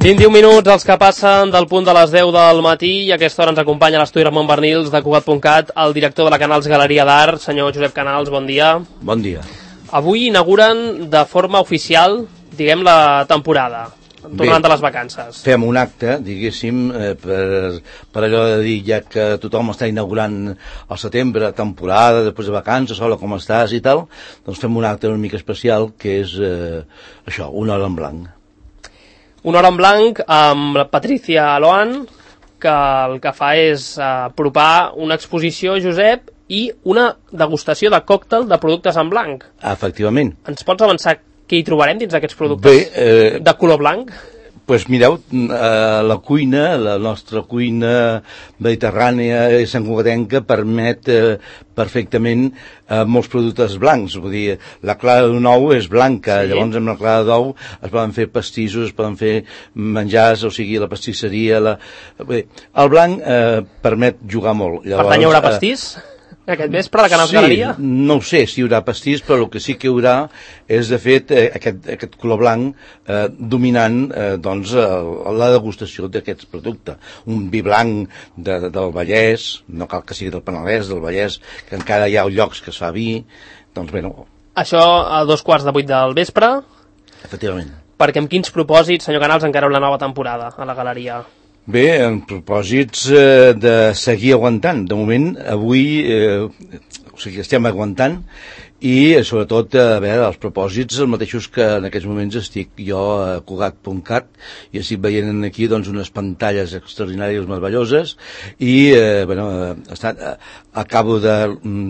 21 minuts els que passen del punt de les 10 del matí i a aquesta hora ens acompanya a l'estudi Ramon Bernils de Cugat.cat el director de la Canals Galeria d'Art, senyor Josep Canals, bon dia. Bon dia. Avui inauguren de forma oficial, diguem, la temporada, tornant de les vacances. Fem un acte, diguéssim, per allò de dir, ja que tothom està inaugurant al setembre, temporada, després de vacances, hola, com estàs i tal, doncs fem un acte una mica especial que és això, una hora en blanc. Una hora en blanc amb la Patricia Loan, que el que fa és apropar una exposició, Josep, i una degustació de còctel de productes en blanc. Efectivament. Ens pots avançar què hi trobarem dins d'aquests productes de color blanc? Doncs mireu, la cuina, la nostra cuina mediterrània i santcugatenca permet perfectament molts productes blancs. Vull dir, la clara d'un ou és blanca, sí. Llavors amb la clara d'ou es poden fer pastissos, es poden fer menjars, o sigui, la pastisseria... El blanc permet jugar molt. Llavors, per tant, hi haurà pastís? Aquest vespre, de Canals Galeria? No ho sé si hi haurà pastís, però el que sí que hi haurà és, de fet, aquest color blanc dominant doncs, la degustació d'aquests productes. Un vi blanc del Vallès, no cal que sigui del Penedès, del Vallès, que encara hi ha llocs que es fa vi, doncs bé, no. Això a 7:15 del vespre? Efectivament. Perquè amb quins propòsits, senyor Canals, encareu la nova temporada a la Galeria? Bé, en propòsits de seguir aguantant. De moment, avui, o sigui, estem aguantant i, sobretot, a veure, els propòsits els mateixos que en aquests moments estic jo a Cugat.cat i estic veient aquí, doncs, unes pantalles extraordinàries, meravelloses i, bueno, acabo de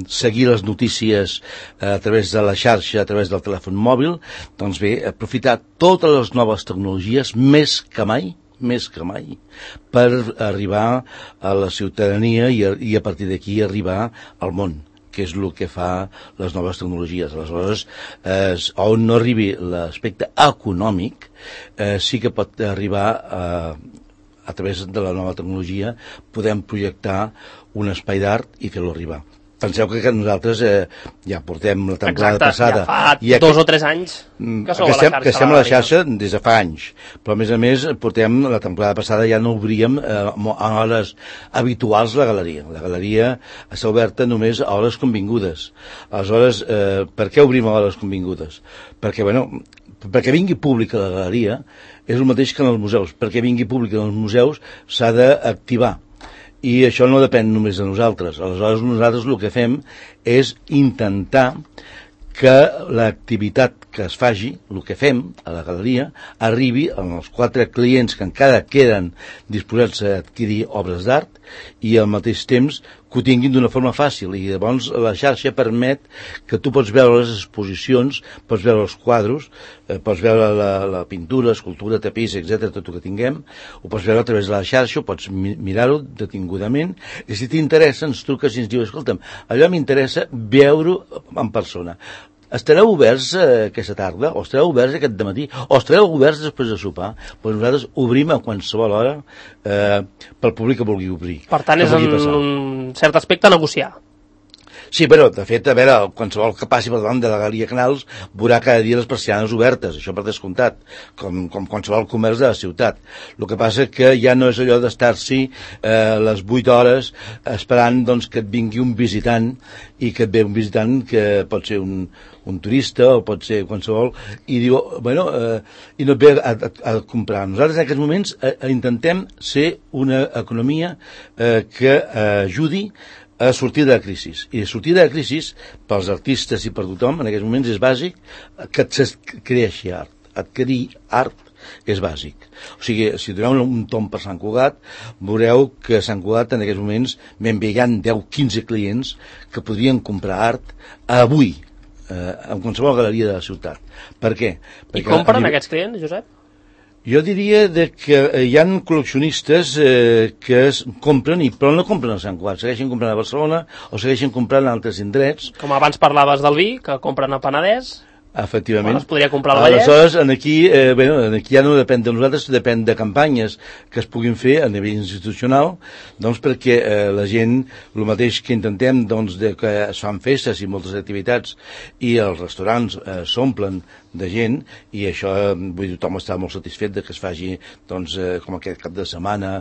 seguir les notícies a través de la xarxa, a través del telèfon mòbil, doncs bé, aprofitar totes les noves tecnologies més que mai, per arribar a la ciutadania i a partir d'aquí arribar al món, que és el que fa les noves tecnologies. Aleshores, on no arribi l'aspecte econòmic, sí que pot arribar a través de la nova tecnologia, podem projectar un espai d'art i fer-lo arribar. Penseu que nosaltres ja portem la temporada passada. Exacte, ja fa 2 o 3 anys que sou a la xarxa. Que estem a la xarxa des de fa anys. Però, a més, portem la temporada passada, ja no obríem a hores habituals la galeria. La galeria està oberta només a hores convingudes. Aleshores, per què obrim a hores convingudes? Perquè, bueno, perquè vingui públic a la galeria és el mateix que en els museus. Perquè vingui públic en els museus s'ha d'activar. I això no depèn només de nosaltres. Aleshores, nosaltres el que fem és intentar que l'activitat que es faci, el que fem a la galeria, arribi als 4 clients que encara queden disposats a adquirir obres d'art i al mateix temps que ho tinguin d'una forma fàcil. I llavors la xarxa permet que tu pots veure les exposicions, pots veure els quadros, pots veure la pintura, escultura, tapís, etc., tot el que tinguem, ho pots veure a través de la xarxa, ho pots mirar-ho detingudament, i si t'interessa ens truques i ens dius, escolta'm, allò m'interessa veure-ho en persona. Estareu oberts aquesta tarda, o estareu oberts aquest dematí, o estareu oberts després de sopar? Doncs nosaltres obrim a qualsevol hora pel públic que vulgui obrir. Per tant, és en un cert aspecte negociar. Sí, però, de fet, a veure, qualsevol que passi per davant de la Galeria Canals veurà cada dia les persianes obertes, això per descomptat, com qualsevol comerç de la ciutat. El que passa que ja no és allò d'estar-s'hi les 8 hores esperant doncs, que et vingui un visitant i que et ve un visitant que pot ser un turista o pot ser qualsevol i diu, bueno, i no et ve a comprar. Nosaltres en aquests moments intentem ser una economia que ajudi a sortir de la crisi. I sortir de la crisi, pels artistes i per tothom, en aquests moments és bàsic que es creixi art. Adquirir art és bàsic. O sigui, si doneu un tomb per Sant Cugat, veureu que a Sant Cugat en aquests moments m'enviaran 10-15 clients que podrien comprar art avui, en qualsevol galeria de la ciutat. Per què? I compren aquests clients, Josep? Jo diria que hi ha col·leccionistes que es compren, però no compren a Sant Cugat, segueixen comprant a Barcelona o segueixen comprant a altres indrets. Com abans parlaves del vi, que compren a Penedès. Efectivament. Bueno, es podria comprar al Vallès. Aleshores, aquí ja no depèn de nosaltres, depèn de campanyes que es puguin fer a nivell institucional, doncs perquè la gent, el mateix que intentem, doncs, que es fan festes i moltes activitats i els restaurants s'omplen de gent, i això, vull dir, tothom està molt satisfet de que es faci, doncs, com aquest cap de setmana,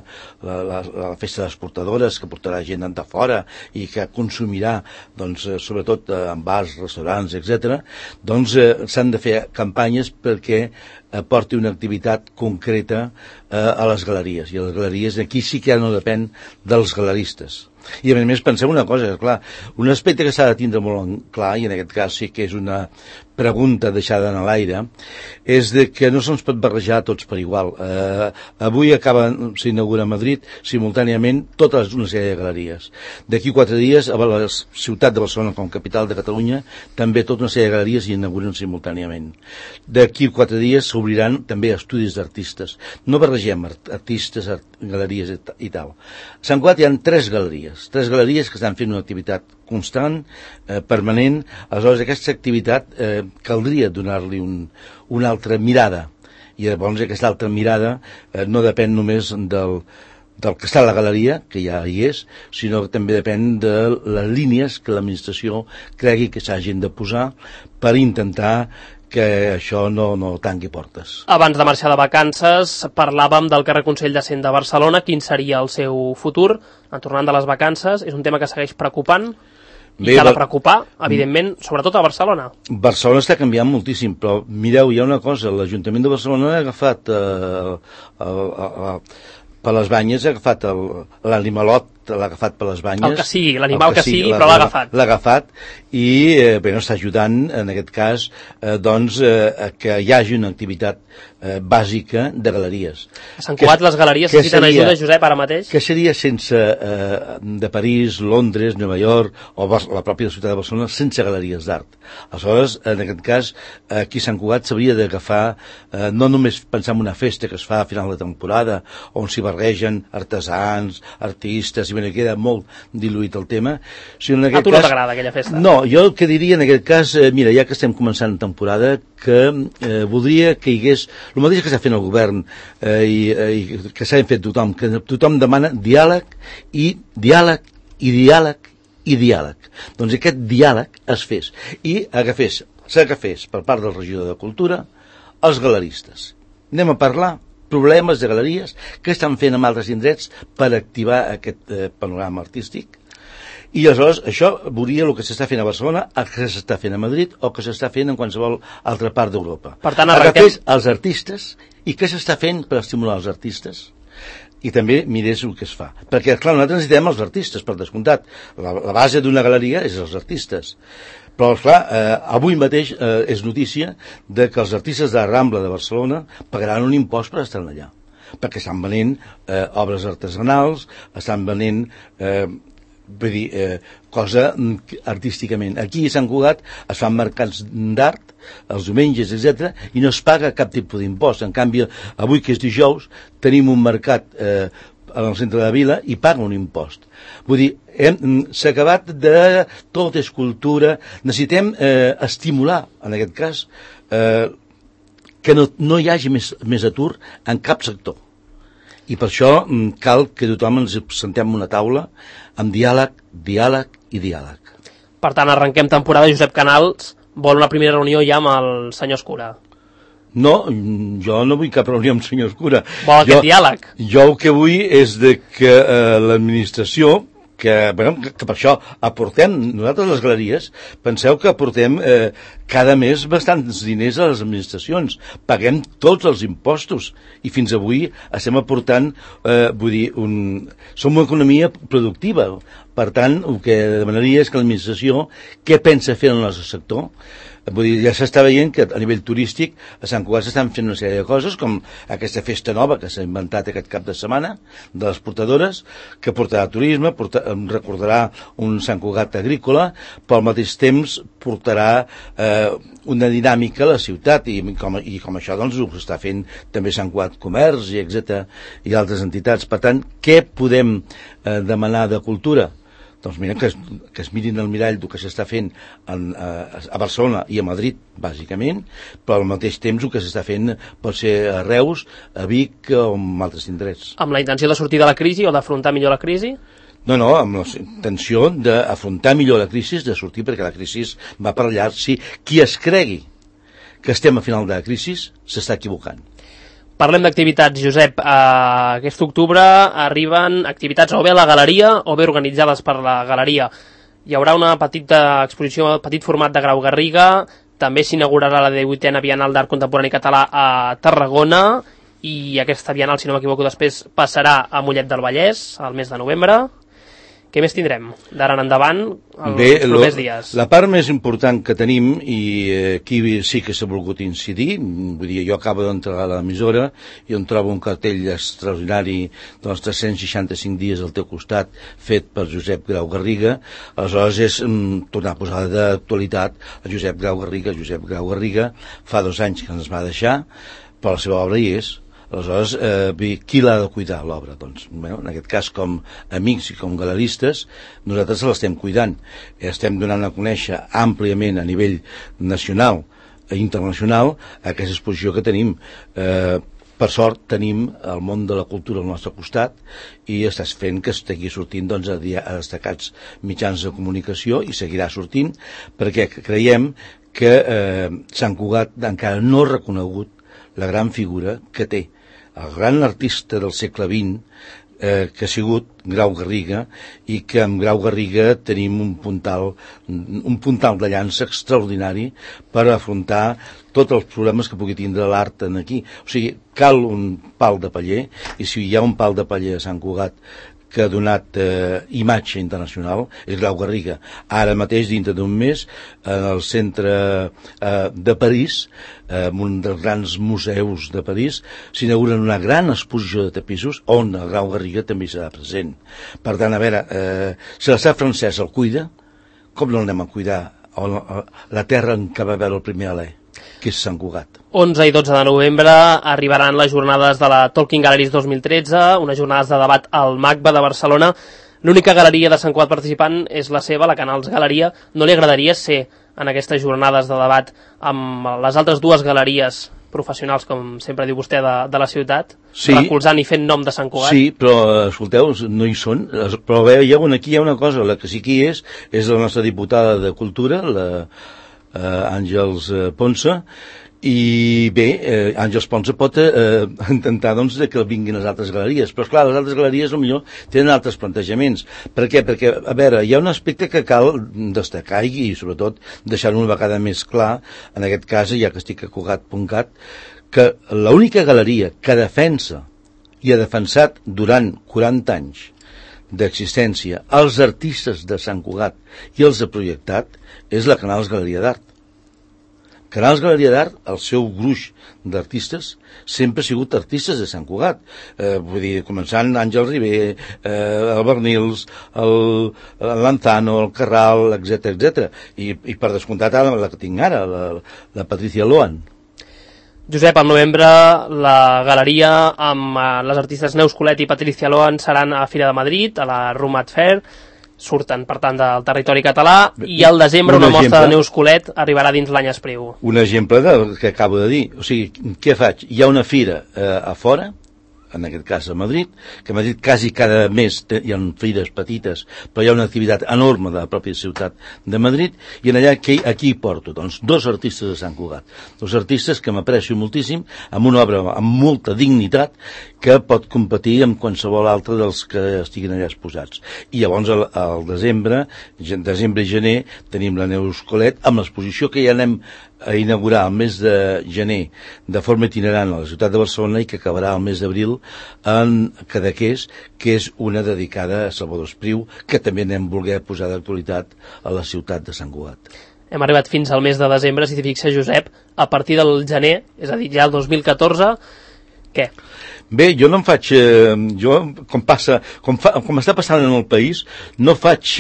la festa de les portadores, que portarà gent de fora i que consumirà, doncs, sobretot en bars, restaurants, etc. Doncs s'han de fer campanyes perquè aporti una activitat concreta a les galeries, i a les galeries aquí sí que ja no depèn dels galeristes. I a més pensem una cosa, clar, un aspecte que s'ha de tindre molt clar, i en aquest cas sí que és una pregunta deixada en l'aire, és de que no se'ns pot barrejar tots per igual. Avui s'inaugura a Madrid simultàniament tota una sèrie de galeries. D'aquí 4 dies a la ciutat de Barcelona com capital de Catalunya també tota una sèrie de galeries s'inauguren simultàniament. D'aquí 4 dies s'obriran també estudis d'artistes. No barregem artistes, galeries i tal. A Sant Cugat hi ha 3 galeries que estan fent una activitat constant, permanent. Aleshores aquesta activitat caldria donar-li una altra mirada, i llavors aquesta altra mirada no depèn només del que està a la galeria, que ja hi és, sinó que també depèn de les línies que l'administració cregui que s'hagin de posar per intentar que això no tanqui portes. Abans de marxar de vacances parlàvem del carrer Consell de Cent de Barcelona. Quin seria el seu futur? Tornant de les vacances, és un tema que segueix preocupant i que ha de preocupar, evidentment, sobretot a Barcelona. Barcelona està canviant moltíssim, però mireu, hi ha una cosa, l'Ajuntament de Barcelona ha agafat per les banyes, ha agafat l'animalot, l'ha agafat per les banyes. El que sigui, l'animal que sigui, però l'ha agafat. L'ha agafat i està ajudant, en aquest cas, que hi hagi una activitat bàsica de galeries. A Sant Cugat les galeries necessiten ajuda, Josep, ara mateix? Que seria sense de París, Londres, Nova York o la pròpia ciutat de Barcelona sense galeries d'art. Aleshores, en aquest cas, aquí a Sant Cugat s'hauria d'agafar, no només pensar en una festa que es fa a final de temporada, on s'hi barregen artesans, artistes, i queda molt diluït el tema. Si en aquest tu no t'agrada aquella festa? No, jo el que diria en aquest cas, mira, ja que estem començant temporada, que voldria que hi hagués el mateix que està fent el govern i que s'ha fet tothom, que tothom demana diàleg i diàleg i diàleg i diàleg. Doncs aquest diàleg es fes i s'agafés per part del regidor de Cultura els galeristes. Anem a parlar problemes de galeries que estan fent en altres indrets per activar aquest panorama artístic. I aleshores això veuria el que s'està fent a Barcelona, el que s'està fent a Madrid o que s'està fent en qualsevol altra part d'Europa. Per tant, agafés els artistes i què s'està fent per estimular els artistes i també mirés el que es fa. Perquè, clar, nosaltres necessitem els artistes, per descomptat. La base d'una galeria és els artistes. Però, clar, avui mateix és notícia de que els artistes de la Rambla de Barcelona pagaran un impost per estar allà. Perquè estan venent obres artesanals, estan venent cosa artísticament. Aquí a Sant Cugat es fan mercats d'art els diumenges, etc., i no es paga cap tipus d'impost. En canvi, avui que és dijous, tenim un mercat al centre de la vila i paga un impost. Vull dir, s'ha acabat de tot és cultura. Necessitem estimular, en aquest cas, que no hi hagi més atur en cap sector. I per això cal que tothom ens sentem en una taula amb diàleg, diàleg i diàleg. Per tant, arrenquem temporada. Josep Canals vol una primera reunió ja amb el senyor Escura. No, jo no vull cap reunió amb el senyor Escura. Vol aquest diàleg? Jo el que vull és de que l'administració, que per això aportem, nosaltres les galeries, penseu que aportem cada mes bastants diners a les administracions, paguem tots els impostos i fins avui estem aportant, som una economia productiva. Per tant, el que demanaria és que l'administració, què pensa fer en el nostre sector? Vull dir, ja s'està veient que a nivell turístic a Sant Cugat s'estan fent una sèrie de coses com aquesta festa nova que s'ha inventat aquest cap de setmana de les portadores, que portarà turisme, recordarà un Sant Cugat agrícola, però al mateix temps portarà una dinàmica a la ciutat i com això doncs ho està fent també Sant Cugat Comerç i etc. i altres entitats. Per tant, què podem demanar de cultura? Doncs mira, que es mirin al mirall del que s'està fent a Barcelona i a Madrid, bàsicament, però al mateix temps el que s'està fent pot ser a Reus, a Vic o en altres indrets. Amb la intenció de sortir de la crisi o d'afrontar millor la crisi? No, amb la intenció d'afrontar millor la crisi, de sortir, perquè la crisi va per allà. Si qui es cregui que estem a final de la crisi, s'està equivocant. Parlem d'activitats, Josep. Aquest octubre arriben activitats o bé a la galeria o bé organitzades per la galeria. Hi haurà una petita exposició, petit format de Grau Garriga, també s'inaugurarà la 18a Bienal d'Art Contemporani Català a Tarragona i aquesta Bienal, si no m'equivoco, després passarà a Mollet del Vallès al mes de novembre. Què més tindrem d'ara en endavant els propers dies? La part més important que tenim, i aquí sí que s'ha volgut incidir, vull dir, jo acabo d'entrar a l'emissora i on trobo un cartell extraordinari dels 365 dies al teu costat, fet per Josep Grau Garriga, aleshores és tornar a posar d'actualitat a Josep Grau Garriga. Josep Grau Garriga fa 2 anys que ens va deixar, però la seva obra hi és. Aleshores, qui l'ha de cuidar, l'obra? Doncs, en aquest cas, com amics i com galeristes, nosaltres l'estem cuidant. Estem donant a conèixer àmpliament a nivell nacional i internacional aquesta exposició que tenim. Per sort, tenim el món de la cultura al nostre costat i estàs fent que estigui sortint doncs, a destacats mitjans de comunicació i seguirà sortint perquè creiem que Sant Cugat encara no ha reconegut la gran figura que té el gran artista del segle XX que ha sigut Grau Garriga i que amb Grau Garriga tenim un puntal de llança extraordinari per afrontar tots els problemes que pugui tindre l'art aquí. O sigui, cal un pal de paller i si hi ha un pal de paller a Sant Cugat que ha donat imatge internacional és Grau Garriga. Ara mateix, dintre d'un mes, en el centre de París, un dels grans museus de París, s'inauguren una gran exposició de tapissos on el Grau Garriga també serà present. Per tant, a veure, si l'estat francès el cuida, com no l'anem a cuidar la terra en què va veure el primer alè, que és Sant Cugat? 11 i 12 de novembre arribaran les jornades de la Talking Galleries 2013, unes jornades de debat al MACBA de Barcelona. L'única galeria de Sant Cugat participant és la seva, la Canals Galeria. No li agradaria ser en aquestes jornades de debat amb les altres 2 galeries professionals, com sempre diu vostè, de la ciutat, sí, recolzant i fent nom de Sant Cugat? Sí, però, escolteu, no hi són. Però veieu, aquí hi ha una cosa, la que sí que hi és la nostra diputada de Cultura, la Àngels Ponce, i bé, Àngels Ponce pot intentar doncs, que vinguin les altres galeries, però esclar, les altres galeries potser tenen altres plantejaments. Per què? Perquè, a veure, hi ha un aspecte que cal destacar i sobretot deixar-ho una vegada més clar, en aquest cas, ja que estic a Cugat.cat, que l'única galeria que defensa i ha defensat durant 40 anys d'existència els artistes de Sant Cugat i els ha projectat és la Canals Galeria d'Art. Canals Galeria d'Art, el seu gruix d'artistes, sempre ha sigut artistes de Sant Cugat. Vull dir, començant Àngel Ribé, el Bernils, el Lanzano, el Carral, etc. I per descomptat la que tinc ara, la Patricia Loan. Josep, al novembre la galeria amb les artistes Neus Colet i Patricia Loan seran a Fira de Madrid, a la Rumat Fair, surten, per tant, del territori català, i al desembre una mostra de Neus Colet arribarà dins l'any Espriu. Un exemple del que acabo de dir. O sigui, què faig? Hi ha una fira a fora, en aquest cas a Madrid, que a Madrid quasi cada mes hi ha fires petites, però hi ha una activitat enorme de la pròpia ciutat de Madrid, i en allà aquí porto doncs, 2 artistes de Sant Cugat, 2 artistes que m'aprecio moltíssim, amb una obra amb molta dignitat, que pot competir amb qualsevol altre dels que estiguin allà exposats. I llavors al desembre i gener tenim la Neus Colet amb l'exposició que ja anem a inaugurar el mes de gener de forma itinerant a la ciutat de Barcelona i que acabarà el mes d'abril en Cadaqués, que és una dedicada a Salvador Espriu, que també anem voler posar d'actualitat a la ciutat de Sant Cugat. Hem arribat fins al mes de desembre, si t'hi fixes, Josep, a partir del gener, és a dir, ja el 2014, què? Bé, jo no em faig... com està passant en el país, no faig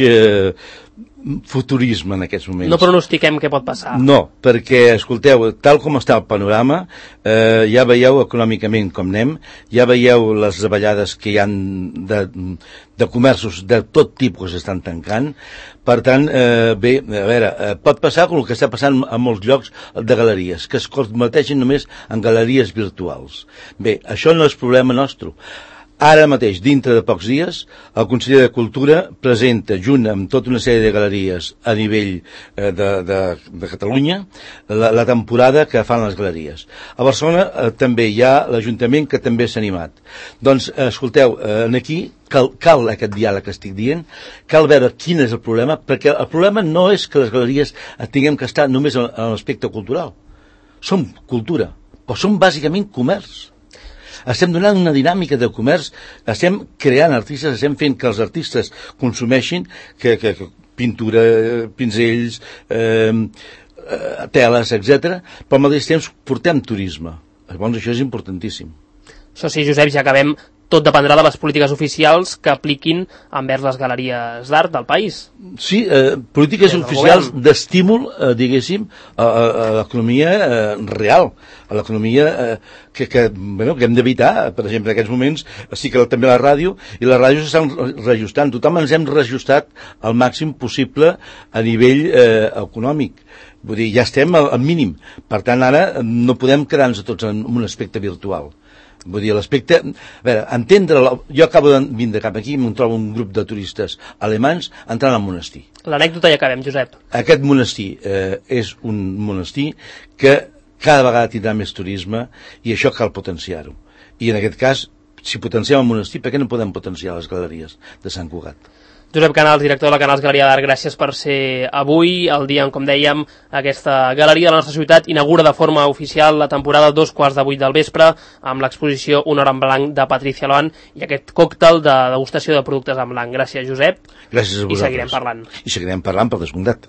futurisme en aquests moments. No pronostiquem què pot passar. No, perquè, escolteu, tal com està el panorama, ja veieu econòmicament com anem, ja veieu les davallades que hi ha de comerços de tot tipus que estan tancant. Per tant, bé, a veure, pot passar com el que està passant a molts llocs de galeries, que es converteixen només en galeries virtuals. Bé, això no és problema nostre. Ara mateix, dintre de pocs dies, el conseller de Cultura presenta, junt amb tota una sèrie de galeries a nivell de Catalunya, la temporada que fan les galeries. A Barcelona també hi ha l'Ajuntament que també s'ha animat. Doncs, escolteu, aquí cal aquest diàleg que estic dient, cal veure quin és el problema, perquè el problema no és que les galeries tinguem que estar només en l'aspecte cultural. Som cultura, però som bàsicament comerç. Estem donant una dinàmica de comerç, estem creant artistes, estem fent que els artistes consumeixin que pintura, pinzells, teles, etc. Però al mateix temps portem turisme. Llavors això és importantíssim. Això sí, Josep, ja acabem. Tot dependrà de les polítiques oficials que apliquin envers les galeries d'art del país. Sí, polítiques oficials d'estímul, diguéssim, a l'economia real, a l'economia que hem d'evitar. Per exemple, en aquests moments sí que també la ràdio, i la ràdio s'estan reajustant. Tothom ens hem reajustat al màxim possible a nivell econòmic. Vull dir, ja estem al mínim. Per tant, ara no podem quedar-nos tots en un aspecte virtual. Vull dir, l'aspecte... A veure, jo acabo de vindre cap aquí i em trobo un grup de turistes alemanys entrant al monestir. L'anècdota ja acabem, Josep. Aquest monestir és un monestir que cada vegada tindrà més turisme i això cal potenciar-ho. I en aquest cas, si potenciem el monestir, per què no podem potenciar les galeries de Sant Cugat? Josep Canals, director de la Canals Galeria d'Art, gràcies per ser avui, el dia en, com dèiem, aquesta galeria de la nostra ciutat inaugura de forma oficial la temporada 2:15 del vespre amb l'exposició Una hora en blanc de Patricia Loan i aquest còctel de degustació de productes en blanc. Gràcies, Josep. Gràcies a vosaltres. I seguirem parlant. I seguirem parlant, per descomptat.